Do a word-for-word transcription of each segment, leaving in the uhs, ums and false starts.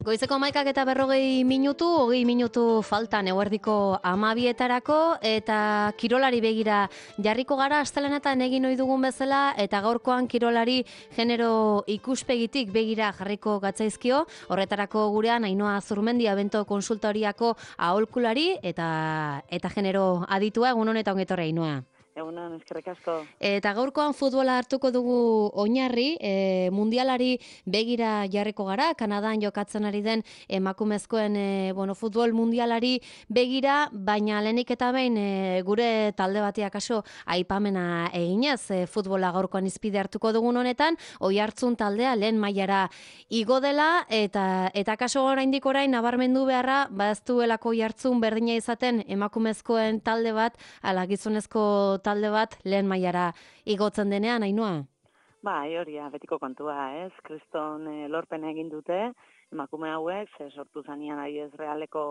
Goizeko hamaikak eta berrogei minutu, hogei minutu faltan eguerdiko hamabietarako eta kirolari begira jarriko gara astelenetan egin ohi dugun bezala eta gaurkoan kirolari genero ikuspegitik begira jarriko gatzaizkio. Horretarako gurean Ainhoa Zurmendi Abento konsultoriako aholkulari eta eta genero aditua. Egun honetan ongi etorri, Ainhoa. Egunon, eskerrik asko. Eta gaurkoan futbola hartuko dugu oinarri, e, mundialari begira jarriko gara, Kanadan jokatzen ari den emakumezkoen e, bueno, futbol mundialari begira, baina lehenik eta behin e, gure talde bateak kaso aipamena eginez, e, futbola gaurkoan izpide hartuko dugun honetan, Oiartzun taldea lehen mailara igo dela, eta eta kaso oraindik orain nabarmendu beharra, ba ez duelako Oiartzun berdina izaten emakumezkoen talde bat, ala gizonezko talde bat lehen mailara igotzen denean, Ainhoa? Bai, hori betiko kontua, ez? Kriston e, lorpen egin dute, emakume hauek, ze sortu zanean ari ez realeko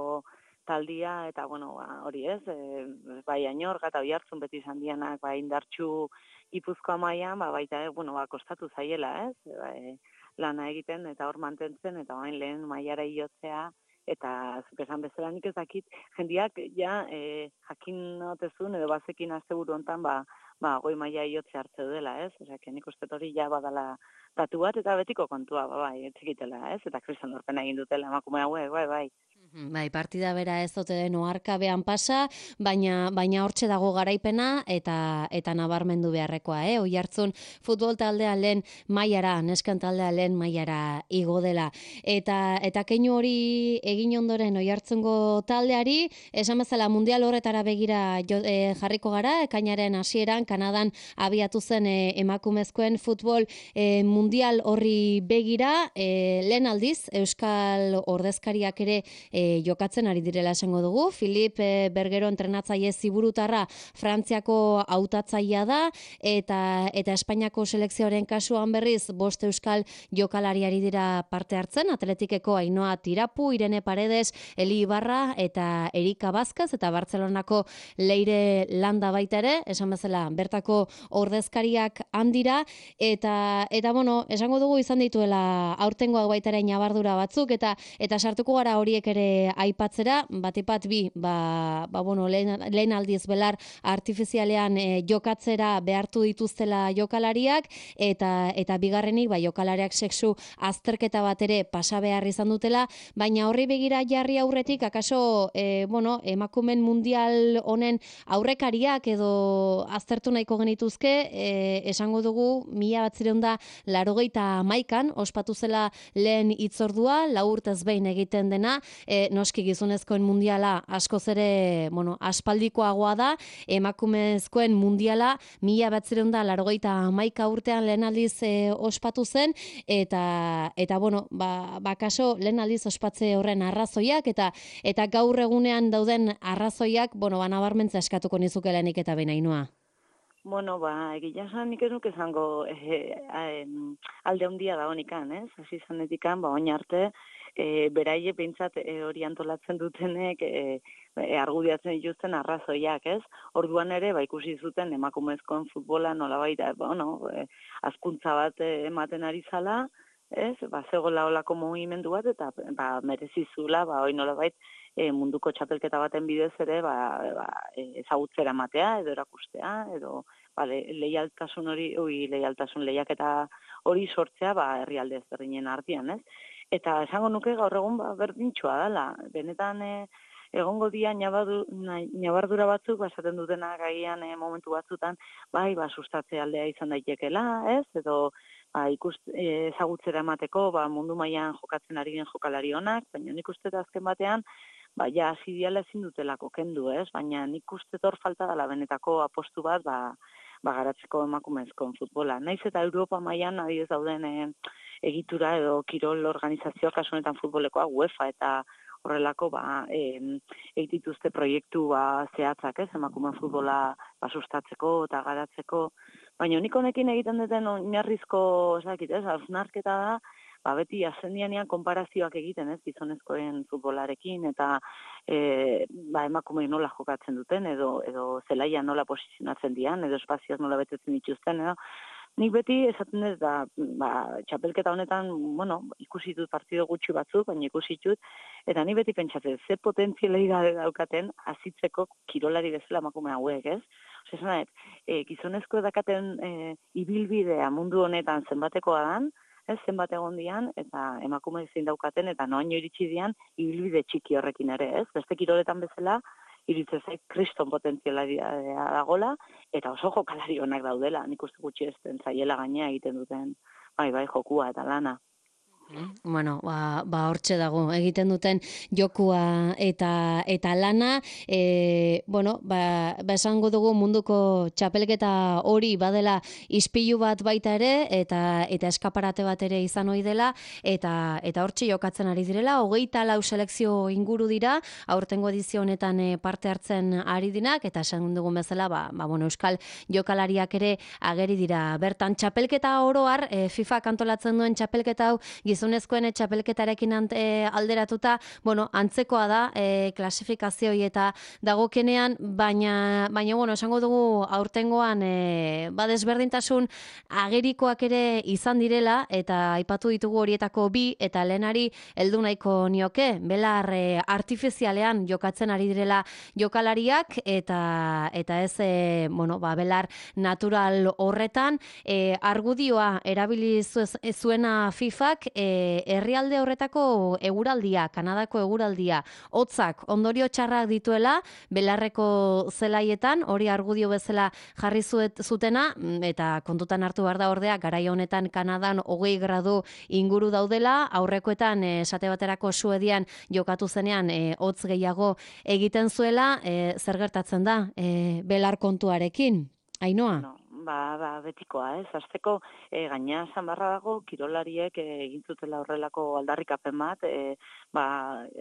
taldia, eta bueno, ba, hori ez, e, bai Ainorga eta Oiartzun beti izan dianak, bai indartxu Gipuzkoa mailan, ba, baita, e, bueno, ba, kostatu zaiela, ez? E, ba, e, lana egiten eta hor mantentzen, eta orain lehen mailara igotzea, eta zuk esan bezala nik ez dakit, jendiak ja e, jakin otezun edo bazekin asteburu hontan ba, ba, goi maila iotze hartze dela, ez? Osea, nik uste hori ja badala datu bat eta betiko kontua, ba, bai, etzikitela, ez? Eta kriston lorpena egin dutela emakume hauek, bai, bai. Bai, partida bera ez dute den oharkabean pasa, baina baina hortxe dago garaipena eta eta nabarmendu beharrekoa, eh? Oiartzun futbol taldea lehen mailara, nesken taldea lehen mailara igo dela. Eta eta keinu hori egin ondoren Oiartzungo taldeari, esan bezala mundial horretara begira jo, e, jarriko gara, ekainaren hasieran Kanadan abiatu zen e, emakumezkoen futbol e, mundial horri begira, e, lehen aldiz Euskal ordezkariak ere E, jokatzen ari direla esango dugu. Filip e, Bergero entrenatzaile ziburutarra Frantziako hautatzailea da eta eta Espainiako selekzioaren kasuan berriz bost euskal jokalari ari dira parte hartzen, Atletikeko Ainhoa Tirapu, Irene Paredes, Eli Ibarra eta Erika Vázquez eta Bartzelonako Leire Landa baita ere, esan bezala bertako ordezkariak handira eta eta bueno, esango dugu izan dituela aurtengoak baita ere ñabardura batzuk eta eta sartuko gara horiek ere aipatzera, batipat bi, ba, ba bueno, lehen, lehen aldiz belar artifizialean e, jokatzera behartu dituztela jokalariak, eta eta bigarrenik, ba, jokalariak sexu azterketa bat ere pasa behar izan dutela, baina horri begira jarri aurretik, akaso, e, bueno, emakumen mundial honen aurrekariak edo aztertu nahiko genituzke, e, esango dugu, mila batzireun da larogeita hamaikan, ospatu zela lehen hitzordua, lau urtez behin egiten dena, E, noski gizonezkoen mundiala askoz ere, bueno, aspaldikoagoa da, emakumezkoen mundiala mila batzireun da larogeita hamaika urtean lehen aldiz e, ospatu zen, eta, eta bueno, ba, ba kaso lehen aldiz ospatze horren arrazoiak, eta eta gaur egunean dauden arrazoiak, bueno, ba, nabarmentza eskatuko nizuke lehenik eta behin, Ainhoa. Bueno, ba, egia esan nik ez nuke esango eh, eh, alde handia da honikan, ez? Hasi zanetikan, ba, oin arte, e, beraie behintzat e, hori antolatzen dutenek e, e, argudiatzen dituzten arrazoiak, ez? Orduan ere, ba, ikusi zuten emakumezkoen futbola nolabait, bueno, e, azkuntza bat e, ematen ari zala, ez? Ba, zegoela olako mugimendu bat, eta ba, merezizula, ba, hori nolabait, e, munduko txapelketa baten bidez ere, ba, ba, ezagutzera matea, edo erakustea, edo ba, le, leialtasun hori, ui, leialtasun lehiaketa hori sortzea, ba, herrialde ezberdinen artean, ez? Eta esango nuke gaur egun ba, berdintxoa dela. Benetan e, egongo dia ñabardura batzuk, basaten dutena gaian e, momentu batzutan, bai, ba, sustatze aldea izan daitekela, ez? Edo ba, ikust, e, ezagutzera emateko ba, mundu mailan jokatzen ari den jokalari honak, baina nik uste azken batean, ba, ja, hasi diala ezin dutelako kendu, ez? Baina nik uste hor falta dela benetako apostu bat, ba, ba garatzeko emakumezkoen futbola. Naiz eta Europa mailan adibidez dauden e, egitura edo kirol organizazioak kasu honetan futbolekoa UEFA eta horrelako ba egitituzte proiektu ba zehatzak, ez, emakumeen futbola ba sustatzeko eta garatzeko, baina nik honekin egiten duten oinarrizko, ez dakit, ez, hausnarketa da, ba beti asendianean konparazioak egiten, ez, gizonezkoen futbolarekin eta e, ba emakumeek nola jokatzen duten edo edo zelaia nola posizionatzen dian edo espazioak nola betetzen dituzten, edo nik beti esaten ez da, ba, txapelketa honetan, bueno, ikusi dut partido gutxi batzuk, baina ikusi dut, eta ni beti pentsatzen, ze potentzialidade daukaten azitzeko kirolari bezala emakume hauek, ez? Ose, esan nahi, e, gizonezko dakaten e, ibilbidea mundu honetan zenbatekoa dan, ez, zenbat egon dian, eta emakume zein daukaten, eta noaino iritsi dian, ibilbide txiki horrekin ere, ez? Beste kiroletan bezala, iritze zait kriston potentzialaria dagola, eta oso jokalari onak daudela, nik uste gutxi ez den zaiela gainea egiten duten, bai, bai, jokua eta lana. Bueno, ba, ba hortxe dago, egiten duten jokua eta eta lana, e, bueno, ba, ba esango dugu munduko txapelketa hori badela ispilu bat baita ere, eta eta eskaparate bat ere izan ohi dela, eta eta hortxe jokatzen ari direla, hogeita lau selekzio inguru dira, aurtengo edizio honetan e, parte hartzen ari dinak, eta esan dugun bezala, ba, ba, bueno, euskal jokalariak ere ageri dira. Bertan, txapelketa oroar, e, FIFA kantolatzen duen txapelketa hau, gizonezkoen txapelketarekin e, alderatuta, bueno, antzekoa da e, klasifikazioi eta dagokenean, baina, baina bueno, esango dugu aurtengoan e, badesberdintasun agerikoak ere izan direla, eta aipatu ditugu horietako bi, eta lehenari heldu nahiko nioke, belar e, artifizialean jokatzen ari direla jokalariak, eta eta ez, e, bueno, ba, belar natural horretan, e, argudioa erabili zuena FIFak, e, herrialde horretako eguraldia, Kanadako eguraldia, hotzak ondorio txarrak dituela, belarreko zelaietan, hori argudio bezala jarri zuet, zutena, eta kontutan hartu behar da ordea, garai honetan Kanadan hogei gradu inguru daudela, aurrekoetan esate baterako Suedian jokatu zenean e, hotz gehiago egiten zuela, e, zer gertatzen da e, belar kontuarekin, Ainhoa? No. Ba, ba, betikoa, ez? Azteko, e, gaina esan barra dago, kirolariek e, egin zutela horrelako aldarrikapen bat, e, ba,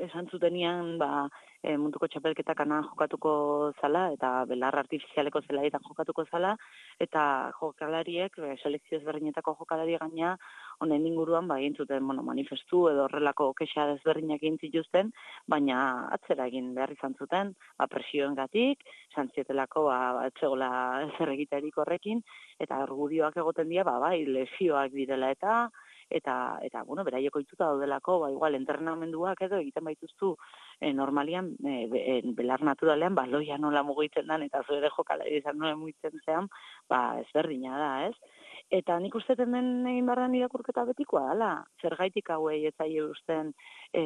esan zutenian, ba, e, munduko txapelketa Kanadan jokatuko zala, eta belar artifizialeko zelaietan jokatuko zala, eta jokalariek, e, selekzio ezberdinetako jokalari gaina, honen inguruan, ba, egin zuten, bueno, manifestu edo horrelako kexa ezberdinak egin zituzten, baina atzera egin behar izan zuten, ba, presioengatik, santzietelako, ba, etzegola zer egiterik horrekin, eta argudioak egoten dira, ba, bai, lesioak direla eta, eta, eta bueno, beraiek ohituta daudelako, ba, igual, entrenamenduak edo egiten baituztu e, normalian, e, be, e, belar naturalean, baloia nola mugitzen dan, eta zuere jokalari izan nola mugitzen zean, ba, ezberdina da, ez? Eta nik usteten den egin barran irakurketa betikoa dela, zergaitik hauei etzaile usten e,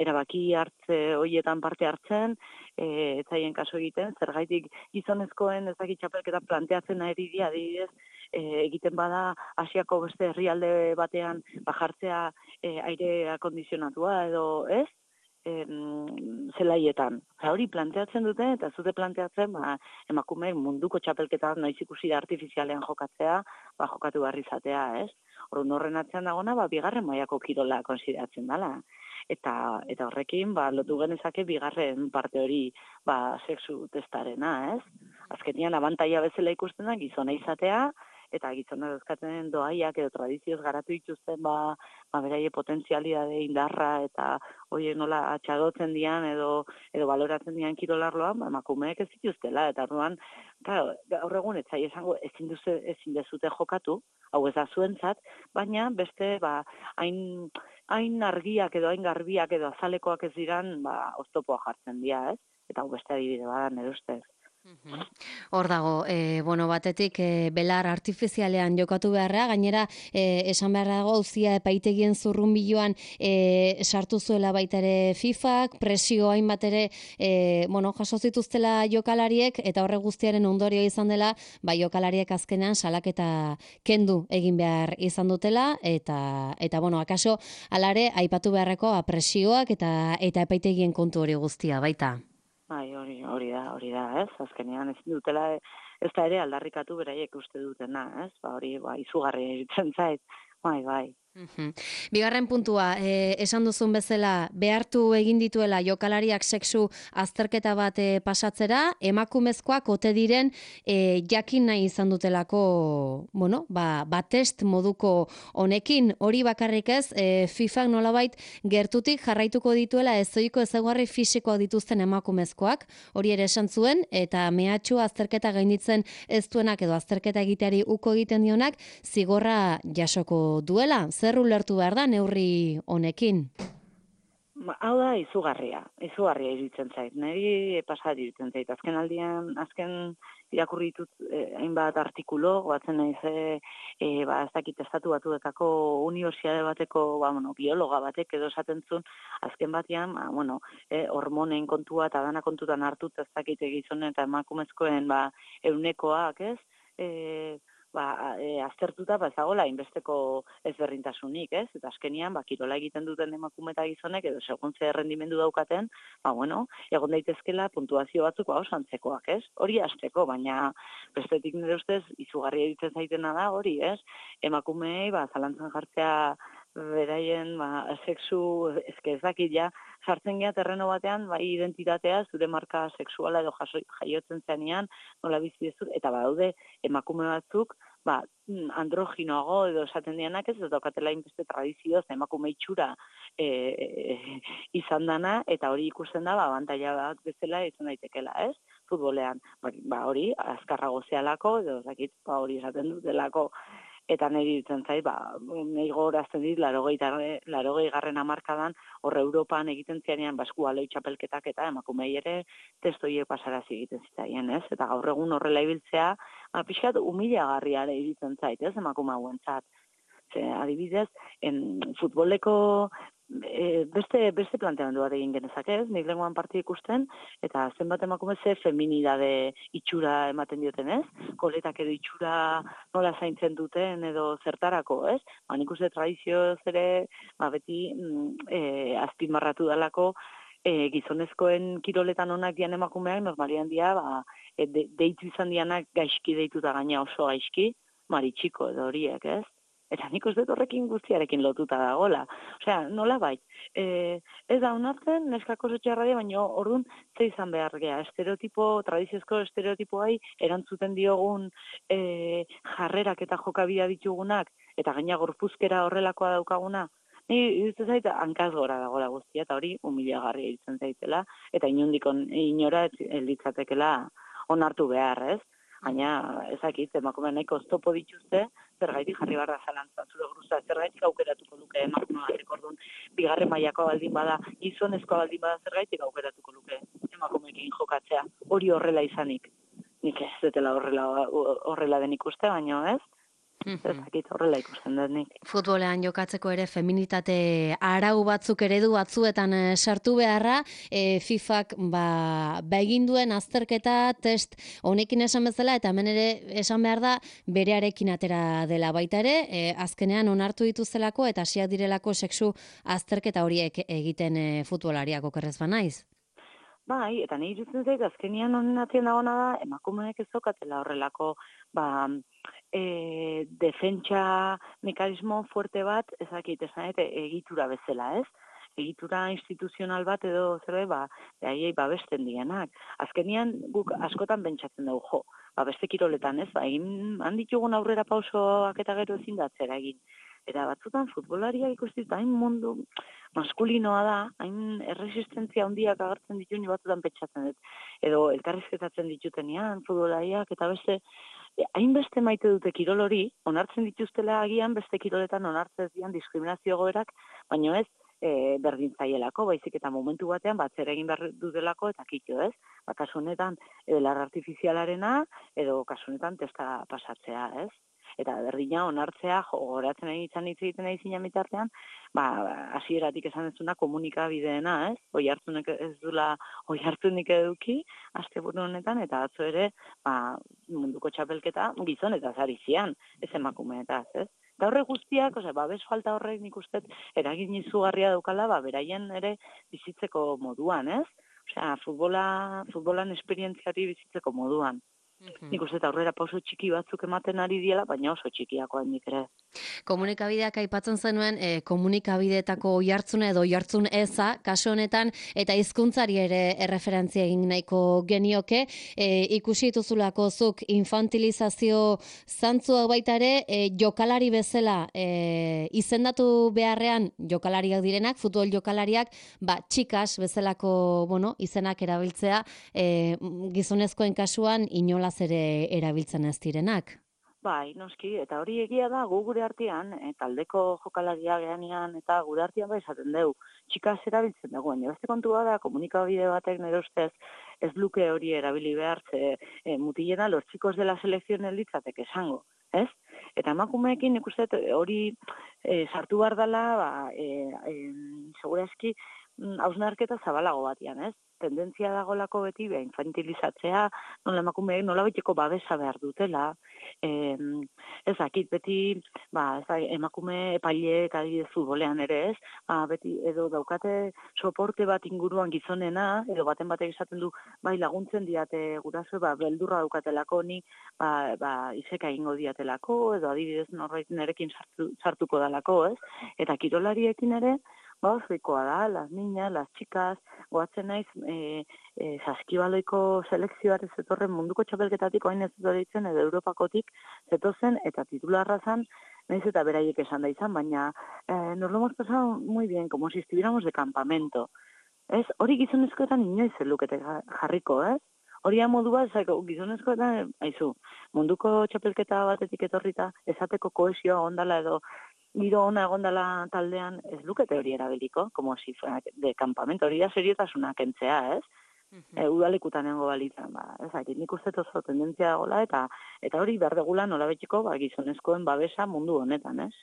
erabaki hartze hoietan parte hartzen, e, etzaien kaso egiten, zergaitik gizonezkoen ezakit txapelketa planteatzen ari dira, adibidez, e, egiten bada Asiako beste herrialde batean bajartzea e, aire akondizionatua edo ez, em, zelaietan. Eta hori planteatzen dute, eta zute planteatzen, ba, emakume munduko txapelketa noiz ikusi da artifizialean jokatzea, ba, jokatu behar izatea, ez? Orduan horren atzean dagona, ba, bigarren mailako kirola konsideratzen dela. Eta, eta horrekin, ba, lotu genezake bigarren parte hori, ba, sexu testarena, ez? Azkenian, abantaia bezala ikusten da, gizona izatea, eta gizona dauzkaten doaiak edo tradizioz garatu dituzten, ba, ba beraie potentzialidade indarra eta horiek nola atxadotzen dian edo edo baloratzen dian kirolarloan, ba, emakumeek ez dituztela, eta orduan, claro, gaur egun ez zai esango ezin duzu ezin dezute jokatu, hau ez da zuentzat, baina beste ba hain hain argiak edo hain garbiak edo azalekoak ez diran, ba oztopoa jartzen dira, ez? Eta hau beste adibide bada nere ustez. Hor dago, e, bueno, batetik e, belar artifizialean jokatu beharra, gainera e, esan beharra dago auzia epaitegien zurrunbiloan e, sartu zuela baita ere FIFak, presio hainbat ere e, bueno, jaso zituztela jokalariek, eta horre guztiaren ondorio izan dela, ba jokalariek azkenean salaketa kendu egin behar izan dutela, eta eta bueno, akaso alare aipatu beharreko presioak eta eta epaitegien kontu hori guztia baita. Bai, hori, hori da, hori da, ez? Azkenean ez dutela, ez da ere aldarrikatu beraiek uste dutena, ez? Ba, hori, ba, izugarri egiten zait, bai, bai. Mhm. Bigarren puntua, eh, esan duzun bezala, behartu egin dituela jokalariak sexu azterketa bat eh, pasatzera, emakumezkoak ote diren eh, jakin nahi izan dutelako, bueno, ba, ba test moduko honekin, hori bakarrik ez, eh, FIFA nolabait gertutik jarraituko dituela ezoiko ezaugarri fisikoak dituzten emakumezkoak, hori ere esan zuen, eta mehatxu azterketa gainditzen ez duenak edo azterketa egiteari uko egiten dionak, zigorra jasoko duela. Zer ulertu behar da neurri honekin? Ba, hau da izugarria, izugarria iruditzen zait. Neri pasat iruditzen zait. Azken aldian, azken irakurri ditut eh, hainbat artikulo, batzen naiz eh, eh, ba, ez dakit estatu batuetako unibertsitate bateko, ba, bueno, biologa batek edo esaten zuen, azken batean, ba, bueno, eh, hormonen kontua eta dana kontutan hartut ez dakit gizonen eta emakumezkoen ba, eunekoak, ez? Eh, ba, e, aztertuta ba ezagola inbesteko ezberdintasunik, ez? Eta azkenian ba kirola egiten duten emakume eta gizonek edo segun ze errendimendu daukaten, ba bueno, egon daitezkela puntuazio batzuk ba oso antzekoak, ez? Hori hasteko, baina bestetik nire ustez izugarria egiten zaitena da hori, ez? Emakumeei ba zalantzan jartzea beraien ba sexu eske ez dakit ja sartzen gea terreno batean bai identitatea zure marka sexuala edo jaso, jaiotzen zenean nola bizi duzu eta badaude emakume batzuk ba androginoago edo esaten dianak ez daukatela inbeste tradizioz emakume itxura e, e, izan dana eta hori ikusten da ba abantaila bat bezala izan daitekeela, ez? Futbolean, ba hori azkarrago zealako edo ez dakit ba hori esaten dutelako. Eta niri ditzen zait, ba, nahi gogorazten dit, larogei garren hamarkadan, horre Europan egiten zianean, basku aloi txapelketak eta emakumei ere testoiek pasarazi egiten zitaien, ez? Eta gaur egun horrela ibiltzea, ba, pixkat humilagarria ere iruditzen zait, ez? Emakume hauentzat. Ze, adibidez, en futboleko e, beste beste planteamendu bat egin genezake, ez? Nik lenguan partia ikusten eta zenbat emakume ze feminidade itxura ematen dioten, ez? Koletak edo itxura nola zaintzen duten edo zertarako, ez? Ba, nik uste tradizioz ere, ba, beti mm, e, azpimarratu dalako e, gizonezkoen kiroletan onak dian emakumeak normalian dia, ba, e, de, deitu izan dianak gaizki deituta gaina oso gaizki, maritxiko edo horiek, ez? Eta nik uste horrekin guztiarekin lotuta dagola. Osea, nola bai, e, ez da onartzen, neskako txarradia, baina orduan ze izan behar gea. Estereotipo, tradiziozko estereotipoai erantzuten diogun e, jarrerak eta jokabidea ditugunak, eta gaina gorpuzkera horrelakoa daukaguna, ni iruditzen zait hankaz gora dagoela guztia, eta hori humilagarria iruditzen zaitela, eta inondik inora elitzatekela onartu behar, ez? Baina, ezakit, emakume nahiko oztopo dituzte, zergaitik jarri barra zalantzan zure gruza, zergaitik aukeratuko luke emakume batek orduan, bigarren mailako baldin bada, gizonezko baldin bada zergaitik aukeratuko luke emakumeekin jokatzea, hori horrela izanik. Nik ez dutela horrela, horrela den ikuste, baino ez? Ezakit horrela ikusten dut nik. Futbolean jokatzeko ere feminitate arau batzuk eredu batzuetan e, sartu beharra, e, FIFak ba, ba egin duen azterketa test honekin esan bezala eta hemen ere esan behar da berearekin atera dela baita ere, e, azkenean onartu dituztelako eta hasiak direlako sexu azterketa horiek egiten e, futbolariak okerrez banaiz. Bai, eta nahi irutzen zait, azkenian honen atien dagoena da, emakumeek ez daukatela horrelako, ba, e, defentsa mekanismo fuerte bat, ezakit, esan egitura bezala, ez? Egitura instituzional bat edo zerbait, ba, behaiei babesten dianak. Azkenian guk askotan bentsatzen dugu, jo, ba, beste kiroletan, ez? Ba, egin handitugun aurrera pausoak eta gero ezin datzera egin. Eta batzutan futbolariak ikusten hain mundu maskulinoa da, hain erresistentzia handiak agertzen ditu ni batzutan pentsatzen dut. Edo elkarrizketatzen ditutenean futbolariak eta beste hainbeste maite dute kirol hori, onartzen dituztela agian beste kiroletan onartzen dian diskriminazio goerak, baino ez e, berdintzaielako, baizik eta momentu batean batzera egin behar dutelako eta kitxo, ez? Ba, kasu honetan, edo lar artifizialarena, edo kasu honetan testa pasatzea, ez? Eta berdina onartzea, gogoratzen nahi izan hitz egiten nahi zina mitartean, ba, hasieratik esan ez duna komunikabideena, ez? Oi hartzunek ez dula, oi hartzunik eduki, asteburu honetan, eta atzo ere, ba, munduko txapelketa gizon eta zarizian, ez emakumeetaz, ez? Eta horre guztiak, ose, babes falta horrek nik uste, eragin izugarria daukala, ba, beraien ere bizitzeko moduan, ez? Osea, futbola, futbolan esperientziari bizitzeko moduan. Nik uste eta aurrera pauso txiki batzuk ematen ari diela, baina oso txikiako hainik ere. Komunikabideak aipatzen zenuen, e, komunikabideetako oihartzuna edo oihartzun eza, kasu honetan, eta hizkuntzari ere erreferentzia egin nahiko genioke, e, ikusi dituzulako zuk infantilizazio zantzua baita ere, e, jokalari bezala e, izendatu beharrean jokalariak direnak, futbol jokalariak, ba, txikas bezalako, bueno, izenak erabiltzea, e, gizonezkoen kasuan inolaz ere erabiltzen ez direnak. Bai, noski, eta hori egia da, gu gure artean, e, taldeko jokalaria geanean, eta gure artean bai esaten dugu, txikaz erabiltzen dugu, baina beste kontua da, komunikabide batek nire ustez, ez luke hori erabili behar, ze e, mutilena los chicos de la selección elitzatek esango, ez? Eta emakumeekin nik uste hori e, sartu behar dela, ba, e, e, segurazki, hausnarketa zabalago batian, ez? Tendentzia dagolako beti, beha, infantilizatzea, nola emakumeek nola betiko babesa behar dutela, e, ez dakit, beti, ba, ez da, emakume epaileek adibidez futbolean ere ez, ba, beti edo daukate soporte bat inguruan gizonena, edo baten batek esaten du, bai laguntzen diate guraso, ba, beldurra daukatelako ni, ba, ba, izeka egingo diatelako, edo adibidez norbait nerekin sartu, sartuko dalako, ez? Eta kirolariekin ere, ba, ozoikoa da, las niñas, las chicas, goatzen naiz, e, e, saskibaloiko selekzioare zetorren munduko txapelketatik, oain ez ditzen, edo Europakotik zetozen, eta titularra zan, nahiz eta beraiek esan da izan, baina eh, nos lo hemos pasado muy bien, como si estuviéramos de campamento. Ez, hori gizonezkoetan inoiz lukete jarriko, ez? Hori modua, gizonezkoetan, aizu, munduko txapelketa batetik etorrita, esateko koesioa ondala edo giro ona egondala taldean, ez lukete hori erabiliko, como si fuera de campamento, hori da seriotasuna kentzea, ez? E, udalekutan nengo balitzen, ba, ez dakit, nik uste oso tendentzia dagoela, eta eta hori behar degula nola betxiko, ba, gizonezkoen babesa mundu honetan, ez?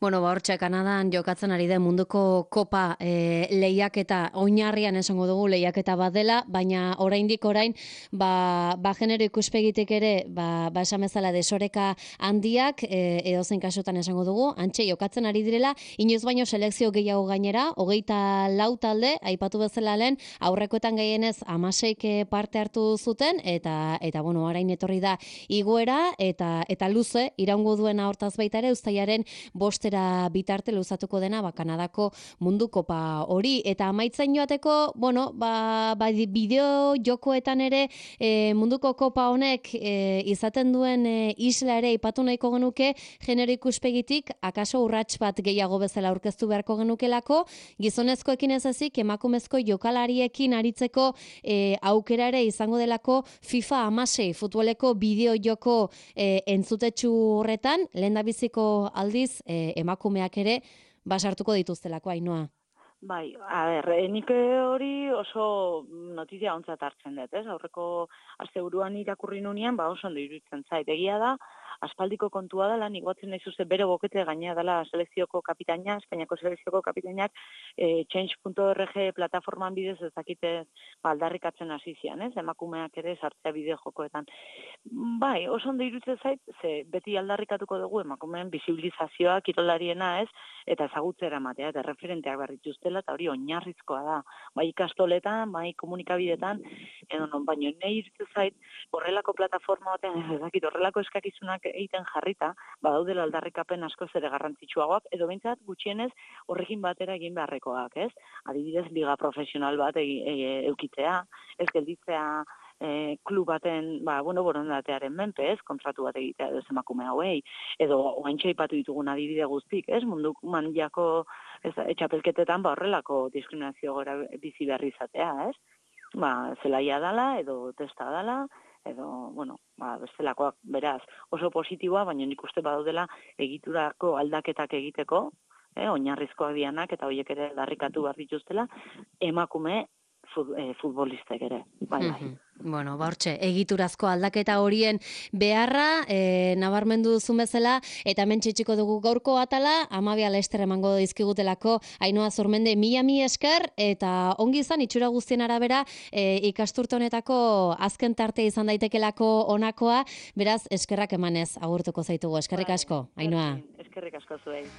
Bueno, ba, hortxe, Kanadan jokatzen ari den munduko kopa e, lehiaketa, oinarrian esango dugu lehiaketa bat dela, baina oraindik orain, ba, ba genero ikuspegitik ere, ba, ba esan bezala desoreka handiak, e, edozein kasutan esango dugu, antxe jokatzen ari direla, inoiz baino selekzio gehiago gainera, hogeita lau talde, aipatu bezala lehen, aurrekoetan gehienez amaseik parte hartu zuten, eta, eta bueno, orain etorri da igoera, eta, eta luze, iraungo duena hortaz baita ere, uztailaren bostera bitarte luzatuko dena ba, Kanadako mundu kopa hori. Eta amaitzen joateko, bueno, ba, ba, bideo jokoetan ere e, munduko kopa honek e, izaten duen e, isla ere ipatu nahiko genuke, genero ikuspegitik, akaso urrats bat gehiago bezala aurkeztu beharko genukelako, gizonezkoekin ez ezik, emakumezko jokalariekin aritzeko e, aukera ere izango delako FIFA hamasei futboleko bideo joko e, entzutetxu horretan, lehen da biziko aldiz e, emakumeak ere basartuko dituztelako, Ainhoa. Bai, a ber, nik hori oso notizia ontzat hartzen dut, ez? Aurreko asteburuan irakurri nunean, ba oso ondo iruditzen zait. Egia da, aspaldiko kontua dela, nik batzen nahi zuze bere bokete gainea dela selekzioko kapitaina, Espainiako selekzioko kapitainak, e, change punto org plataforman bidez ez dakite ba, aldarrikatzen hasi zian, ez? Emakumeak ere sartzea bideo jokoetan. Bai, oso ondo iruditzen zait, ze beti aldarrikatuko dugu emakumeen bisibilizazioa, kirolariena, ez? Eta ezagutzera ematea, eta referenteak berrituztela, eta hori oinarrizkoa da. Bai ikastoletan, bai komunikabidetan, edo non, baino nahi iruditzen zait, horrelako plataforma batean, ez dakit, horrelako eskakizunak egiten jarrita, badaudela aldarrikapen askoz ere garrantzitsuagoak, edo behintzat gutxienez horrekin batera egin beharrekoak, ez? Adibidez, liga profesional bat e, e, eukitzea, ez gelditzea e, klub baten, ba, bueno, borondatearen menpe, ez? Kontratu bat egitea edo emakume hauei, edo oaintxe aipatu ditugun adibide guztik, ez? Mundu mandiako ez, etxapelketetan ba horrelako diskriminazio gora bizi berri izatea, ez? Ba, zelaia dala, edo testa dala, edo, bueno, ba, bestelakoak beraz oso positiboa, baina nik uste badaudela egiturako aldaketak egiteko, eh, oinarrizkoak dianak, eta horiek ere darrikatu behar dituztela, emakume futbolistek ere, bai, bai. Bueno, ba hortxe, egiturazko aldaketa horien beharra, e, nabarmendu duzun bezala, eta hemen txitsiko dugu gaurko atala, amabia lester emango dizkigutelako, Ainhoa Zurmende, mila mi esker, eta ongi izan, itxura guztien arabera, e, ikasturte honetako azken tarte izan daitekelako honakoa, beraz, eskerrak emanez agurtuko zaitugu, eskerrik asko, Ainhoa. Eskerrik asko zuei.